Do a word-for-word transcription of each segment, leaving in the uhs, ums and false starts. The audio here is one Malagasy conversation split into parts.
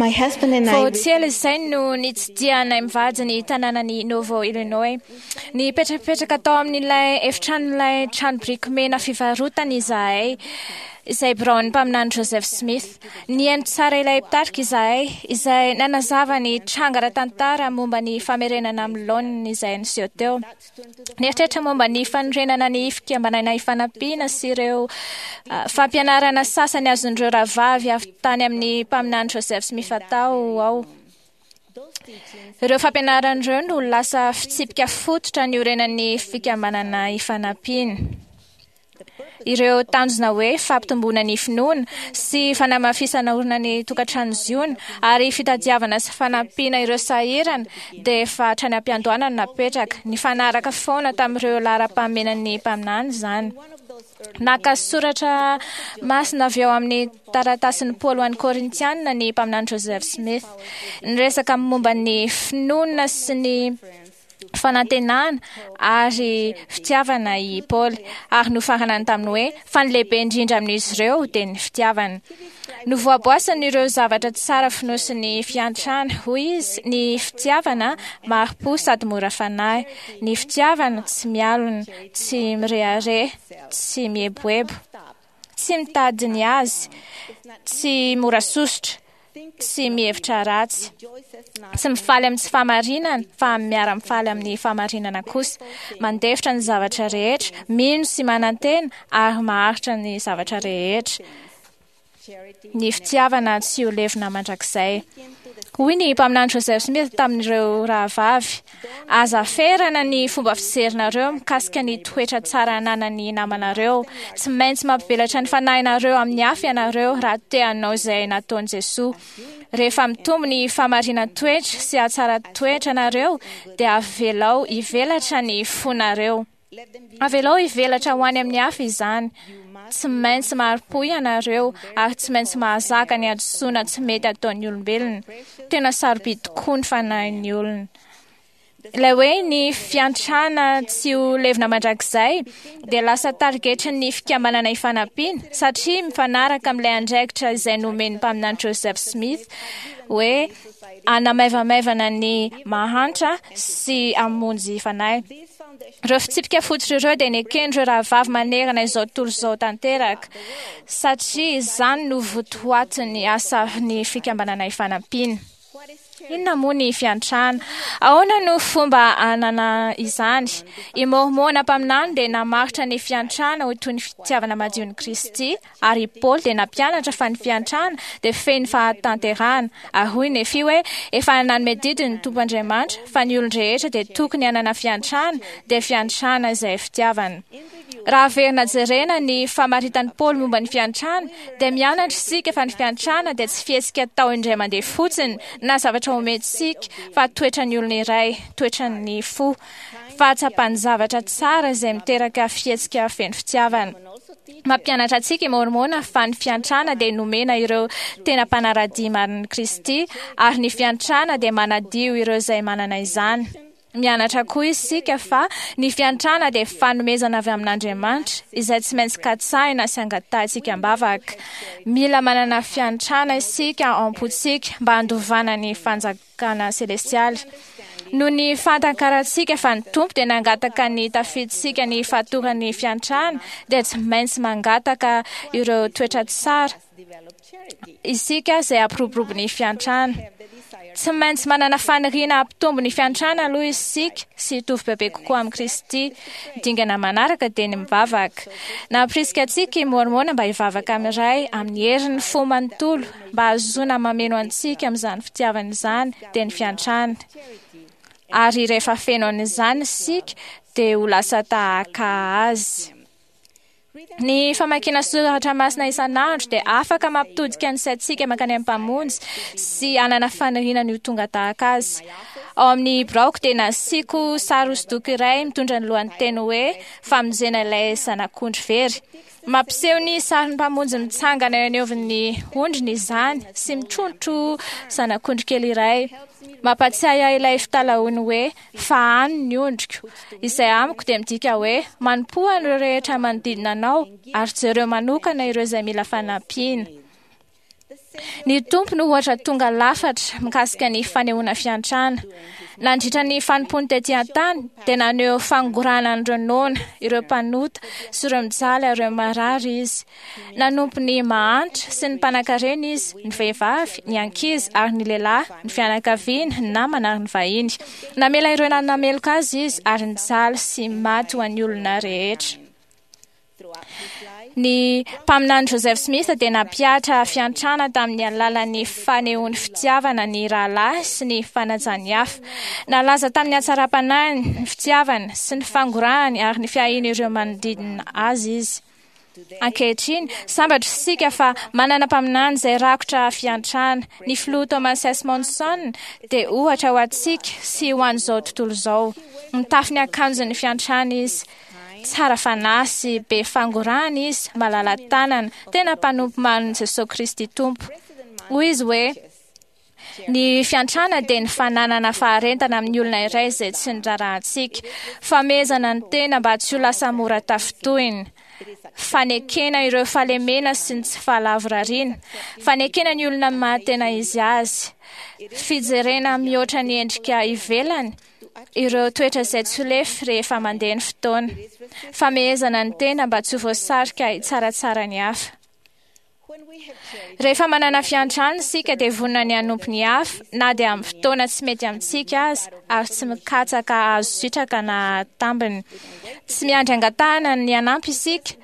My husband and I Vao tsy ela izay no nitsidihanay mivady ny tanànan'i Novo Illinois. Nipetrapetraka tao amin'ilay efitranon'ilay trano biriky mena fivarotana izahay, izay biraon'ny mpaminany Joseph Smith. Nihaino tsara ilay mpitarika izahay, izay nanazava ny tranga ara-tantara momba ny famerenana amin'ny laoniny izay niseho teo. Nieritreritra momba ny fanorenana ny fikambanana Ifanampiana sy ireo ah, fampianarana sasany azon'ireo rahavavy avy tany amin'ny mpaminany Joseph Smith tao aho. Ireo fampianarana ireo no lasa fitsipika fototra niorenan'ny fikambanana Ifanampiana. Ireo tanjona hoe fampitomboana ny finoana sy fanamafisana orina ny tokantrano Ziona ary fitadiavana sy fanampiana ireo sahirana dia efa hatrany am-piandohana no napetraka. Nifanaraka foana tamin'ireo laharam-pahamenan'ny mpaminany izany. Naka soratra masina avy ao amin'ny taratasin'i Paoly ho an'ny Korintianina ny mpaminany Joseph Smith. Niresaka momba ny finoana sy ny fanantenana ary fitiavana i Paoly, ary nofaranany tamin'ny hoe fa ny lehibe indrindra amin'izy ireo dia ny fitiavana. Novoaboasany ireo zavatra tsara fonosin'ny fiantrana, hoy izy, ny fitiavana mari-po sady mora fanahy, ny fitiavana tsy mialona, tsy mirehareha, tsy mieboebo, tsy mitady ny azy, tsy mora sosotra, tsy mihevitra ratsy, tsy mifaly amin'ny tsy fahamarinana fa miara-mifaly amin'ny fahamarinana kosa, mandefitra ny zavatra rehetra, mino sy manantena ary maharitra ny zavatra rehetra. Ny fitiavana tsy ho levona mandrakizay. Hoy ny mpaminany Joseph Smith tamin'ireo rahavavy, aza ferana ny fomba fijerinareo mikasika ny toetra tsara ananan'ny namanareo. Tsy maintsy mampivelatra ny fanahinareo amin'ny hafa ianareo raha te hanao izay nataon'i Jesoa. Rehefa mitombo ny fahamarinan-toetra sy hatsaran-toetra anareo, dia avelao hivelatra ny fonareo. Avelao hivelatra ho any amin'ny hafa izany. Tsy maintsy mari-po ianareo ary tsy maintsy mahazaka ny hadisoana tsy mety ataon'ny olombelona. Tena sarobidy tokoa ny fanahin'ny olona. Ilay hoe ny fiantrana tsy ho levona mandrakizay dia lasa tarigetrin'ny fikambanana Ifanampiana satria mifanaraka amin'ilay andraikitra izay nomen'ny mpaminany Joseph Smith hoe hanamaivamaivana ny mahantra sy hamonjy fanahy. Ireo fitsipika fototra ireo dia neken'ireo rahavavy manerana izao tontolo izao tanteraka satria izany no votoatin'ny asan'ny fikambanana Ifanampiana. Inona moa ny fiantrana? Ahoana no fomba hanana izany? I Môrmôna mpaminany dia namaritra ny fiantrana ho toy ny fitiavana madion'i Kristy, ary i Paoly dia nampianatra fa ny fiantrana dia feno fahatanterahana. Ary hoy Nefia hoe, efa nanome didy ny Tompo Andriamanitra fa ny olon-drehetra dia tokony hanana fiantrana, dia fiantrana izay fitiavana. Raha averina jerena ny famaritan'i Paoly momba ny fiantrana, dia mianatra isika fa ny fiantrana dia tsy fihetsika atao indray mandeha fotsiny na zavatra omentsika, fa toetran'ny olona iray, toetran'ny fo, fahatsapan'ny zavatra tsara izay miteraka fihetsika feno fitiavana. Mampianatra antsika i Môrmôna fa ny fiantrana dia nomena ireo tena mpanara-dia marin'i Kristy, ary ny fiantrana dia manadio ireo izay manana izany. Mianatra koa isika fa ny fiantrana dia fanomezana avy amin'Andriamanitra izay tsy maintsy katsahina sy angatahintsika am-bavaka. Mila manana fiantrana isika ao am-pontsika mba handovana ny fanjakana selestialy. Noho ny fahatankarantsika fa ny Tompo dia nangataka ny tafiditsika ny fahatoran'ny fiantrana, dia tsy maintsy mangataka ireo toetra tsara isika izay hampiroborobo ny fiantrana. Tsy maintsy manana faniriana hampitombo ny fiantrana aloha isika sy hitovy bebe kokoa amin'i Kristy. Ny dingana manaraka dia ny mivavaka. Nampirisika antsika i Môrmôna mba hivavaka amin'ny Ray amin'ny herin'ny fo manontolo mba hahazoana mameno antsika amin'izany fitiavana izany, dia ny fiantrana. Ary rehefa feno an'izany isika dia ho lasa tahaka Azy. Ny famakiana soratra masina isan'andro dia afaka mampitodika ny saintsika mankany amin'ny Mpamonjy sy hanana faniriana ny ho tonga tahaka Azy. Ao amin'ny biraoko dia nasiako sary hosodoko iray mitondra ny lohateny hoe Famonjena ilay Zanak'ondry Very. Mampiseho ny sarin'ny Mpamonjy mitsangana eo anivon'ny ondriny izany sy mitrotro zanak'ondry kely iray. Mampatsiahy ahy ilay fitalahoany hoe Fahano ny ondriko, izay amiko dia midika hoe manompoa an'ireo rehetra manodidina anao ary jereo manokana ireo izay mila fanampiana. Ny Tompo no ohatra tonga lafatra mikasika ny fanehoana fiantrana. Nandritra ny fanompoany tety an-tany dia naneho fangorahana an'ireo noana, ireo mpanota sy ireo mijaly ary ireo marary izy. Nanompo ny mahantra sy ny mpanankarena izy, ny vehivavy, ny ankizy ary ny lehilahy, ny fianakaviana, ny namana ary ny vahiny. Namela ireo nanameloka azy izy ary nijaly sy maty ho an'ny olona rehetra. Ny mpaminany Joseph Smith dia nampihatra fiantrana tamin'ny alalan'ny fanehoany fitiavana ny rahalahy sy ny fanajany hafa. Nalaza tamin'ny hatsaram-panahiny, ny fitiavana sy ny fangorahany ary ny fiahiany ireo manodidina azy izy. Ankehitriny, sambatra isika fa manana mpaminany izay rakotra fiantrana. Ny filoha Thomas S. Monson dia ohatra ho antsika sy ho an'izao tontolo izao. Mitafy ny akanjon'ny fiantrana izy. Tsara fanahy sy be fangorahana izy, malala-tanana, tena mpanompo manin'i Jesosy Kristy Tompo. Hoy izy hoe, ny fiantrana dia ny fananana faharentana amin'ny olona iray izay tsy nirarahantsika. Famehezana ny tena mba tsy ho lasa mora tafintohina. Fanekena ireo fahalemena sy ny tsy fahalavorariana. Fanekena ny olona amin'ny maha-tena izy azy. Fijerena mihoatra ny endrika ivelany, ireo toetra izay tsy ho lefy rehefa mandeha ny fotoana. Famehezana ny tena mba tsy ho voasarika hitsaratsara ny hafa. Rehefa manana fiantrana isika dia vonona ny hanompo ny hafa na dia amin'ny fotoana tsy mety amintsika aza ary tsy mikatsaka hahazo sitraka na tambiny. Tsy miandry angatahana ny hanampy isika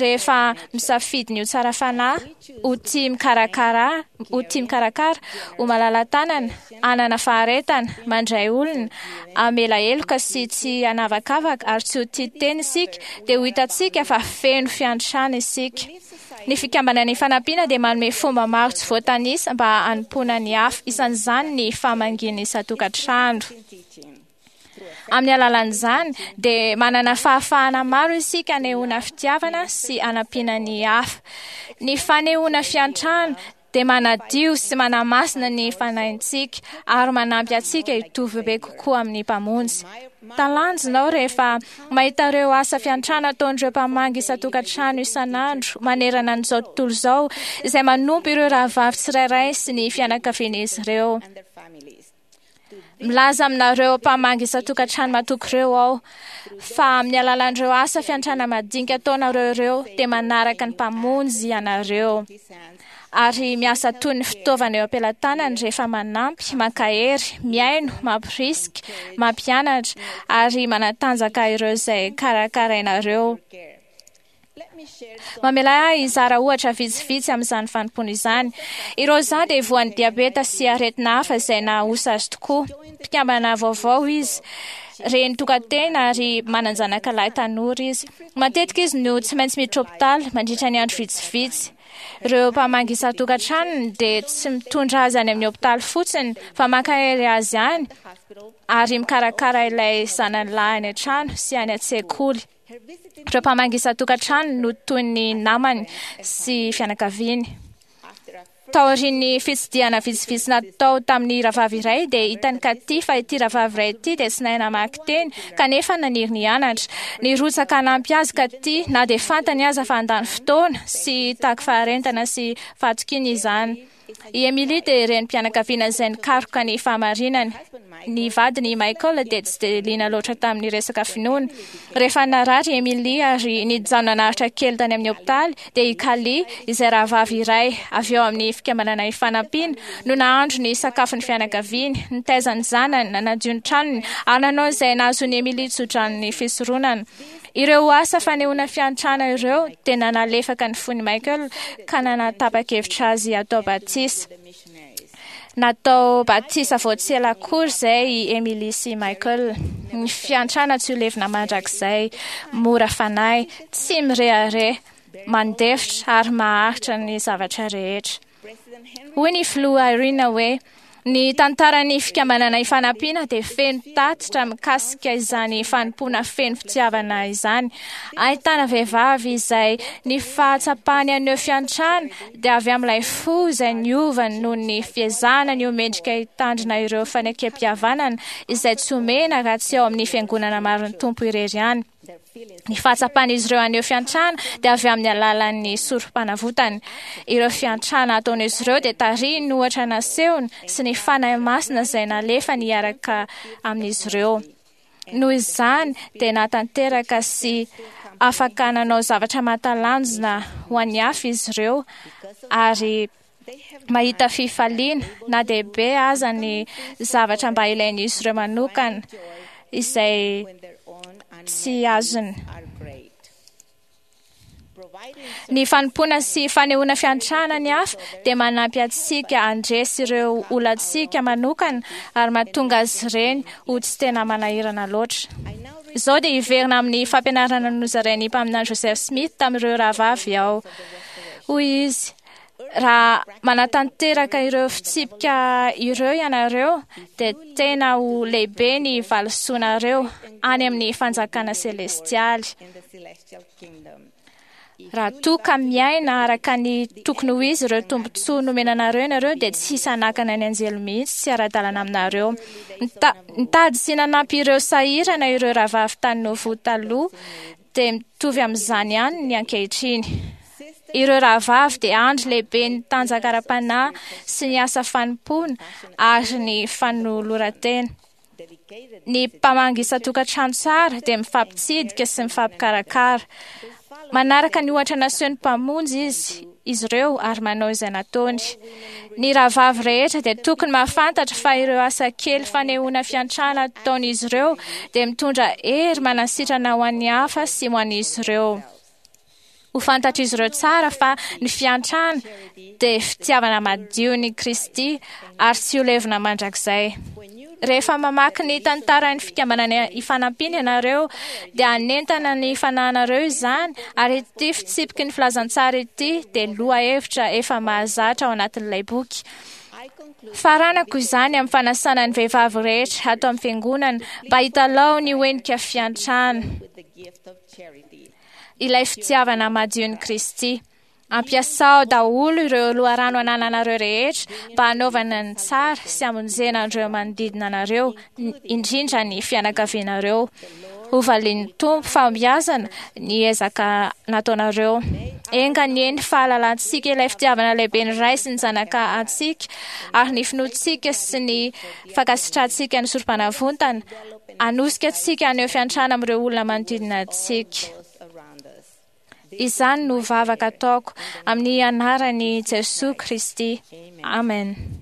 rehefa misafidy ny ho tsara fanahy, ho tia mikarakara, ho tia mikarakara, ho malala-tanana, hanana faharetana, mandray olona, hamela heloka sy tsy hanavakavaka ary tsy ho tia tena isika, dia ho hitantsika fa feno fiantrana isika. Ny fikambanana Ifanampiana dia manome fomba maro tsy voatanisa mba hanompoana ny hafa, isan'izany ny famangiana isan-tokantrano. Amin'ny alalan'izany dia manana fahafahana maro isika hanehoana fitiavana sy hanampiana ny hafa. Ny fanehoana fiantrana dia manadio sy manamasina ny fanahintsika ary manampy antsika hitovy be kokoa amin'ny Mpamonjy. Talanjona aho rehefa mahita ireo asa fiantrana ataon'ireo mpamangy isan-tokantrano isan'andro manerana an'izao tontolo izao, izay manompo ireo rahavavy tsirairay sy ny fianakavian'izy ireo. Milaza aminareo mpamangy isan-tokantrano matoky ireo aho fa amin'ny alalan'ireo asa fiantrana madinika ataonareo ireo dia manaraka ny Mpamonjy ianareo ary miasa toy ny fitaovana eo am-pelatanany rehefa manampy, mankahery, mihaino, mampirisika, mampianatra ary manatanjaka ireo izay karakarainareo. Mamela ahy hizara ohatra vitsivitsy amin'izany fanompoana izany. I Rosa dia voan'ny diabeta sy aretina hafa izay nahaosa azy tokoa. Mpikambana vaovao izy, reny tokan-tena ary manan-janaka lahy tanora izy. Matetika izy no tsy maintsy miditra hopitaly mandritra ny andro vitsivitsy. Ireo mpamangy isan-tokantranony dia tsy mitondra azy any amin'ny hopitaly fotsiny fa mankahery azy any ary mikarakara ilay zanany lahy any an-trano sy any an-tsekoly. Ireo mpamangy isan-tokantrano no toy ny namany sy fianakaviany. Taorian'ny fitsidihana vitsivitsy natao tamin'ny rahavavy iray dia hitan'i Kathy fa ity rahavavy iray ity dia tsy nahay namaky teny kanefa naniry ny hianatra. Nirotsaka hanampy azy Kathy na dia fantany aza fa handany fotoana sy hitaky faharentana sy fahatokiana izany. I Emily dia renim-pianakaviana izay nikaroka ny fahamarinany. Ny vadiny, i Michael, dia tsy dia liana loatra tamin'ny resaka finoana. Rehefa narary i Emily ary nijanona naharitra kely tany amin'ny hopitaly, dia i Kali, izay rahavavy iray avy ao amin'ny fikambanana Ifanampiana, no nahandro ny sakafon'ny fianakaviany, nitaiza ny zanany, nanadio ny tranony, ary nanao izay nahazoan'i Emily tsodranon'ny fisoronana. Ireo asa fanehoana fiantrana ireo dia nanalefaka ny fon'i Michael ka nanatapa-kevitra azy hatao batisa. Natao batisa vao tsy ela akory izay i Emily sy Michael. Ny fiantrana tsy ho levona mandrakizay, mora fanahy, tsy mirehareha, mandefitra ary maharitra ny zavatra rehetra. Hoy ny filoha Irene hoe, Ny tantaran'ny fikambanana Ifanampiana dia feno tatitra mikasika izany fanompoana feno fitiavana izany. Ahitana vehivavy izay ny fahatsapany haneho fiantrana dia avy amin'ilay fo izay niova noho ny fiezahana ny ho mendrika hitandrina ireo fanekem-pihavanana izay tsy omena raha tsy ao amin'ny fiangonana marin'ny Tompo irery ihany. Ny fahatsapan'izy ireo haneho fiantrana dia avy amin'ny alalan'ny sorom-panavotany. Ireo fiantrana ataon'izy ireo dia tarihiny ohatra nasehony sy ny Fanahy Masina izay nalefany hiaraka amin'izy ireo. Noho izany dia natanteraka sy afaka nanao zavatra mahatalanjona ho an'ny hafa izy ireo ary mahita fifaliana na dia be aza ny zavatra mba ilain'izy ireo manokana izay tsy azony. Ny fanompoana sy fanehoana fiantrana ny hafa dia manampy antsika handresy ireo olantsika manokana ary mahatonga azy ireny ho tsy tena manahirana loatra. Izao dia hiverina amin'ny fampianarana nozarain'ny mpaminany Joseph Smith tamin'ireo rahavavy aho. Hoy izy: raha manatanteraka ireo fitsipika ireo ianareo dia tena ho lehibe ny valisoanareo any amin'ny fanjakana selestialy. Raha toa ka miaina araka ny tokony ho izy ireo tombontsoa nomena anareo ianareo dia tsy hisy hanakana ny anjely mihitsy tsy ara-dalana aminareo. Nitady sy nanampy ireo sahirana ireo rahavavy tany Nauvoo taloha dia mitovy amin'izany ihany ny ankehitriny. Ireo rahavavy dia andry lehibe ny tanjaka ara-panahy sy ny asa fanompoana ary ny fanoloran-tena. Ny mpamangy isan-tokantrano tsara dia mifampitsidika sy mifampikarakara. Manaraka ny ohatra nasehon'ny mpamonjy izy izy ireo ary manao izay nataony. Ny rahavavy rehetra dia tokony mahafantatra fa ireo asa kely fanehoana fiantrana ataon'izy ireo dia mitondra hery manasitrana ho an'ny hafa sy ho an'izy ireo. Ho fantatr'izy ireo tsara fa ny fiantrana dia fitiavana madio ny Kristy ary tsy ho levona mandrakizay. Rehefa mamaky ny tantaran'ny fikambanana ifanampiana ianareo dia hanentana ny fanahinareo izany ary ity fitsipiky ny filazantsara ity dia lohahevitra efa mahazatra ao anatin'ilay boky. Faranako izany amin'ny fanasana ny vehivavy rehetra ato amin'ny fiangonana mba hitalao ny hoenika fiantrana, ilay fitiavana madion'i Kristy. Ampiasao daholo ireo loharano anananareo rehetra mba hanaovana ny tsara sy hamonjena an'ireo manodidina anareo, indrindra ny fianakavianareo. Ho valian'ny Tompo fahombiazana ny ezaka nataonareo. Enga anie ny fahalalantsika ilay fitiavana lehibe ny Ray sy ny Zanaka antsika ary ny finoantsika sy ny fankasitrahantsika ny sorom-panavotana hanosika antsika haneho fiantrana amin'ireo olona manodidina antsika. Izany no vavaka ataoko amin'ny anaran'i Jesoa Kristy. Amen.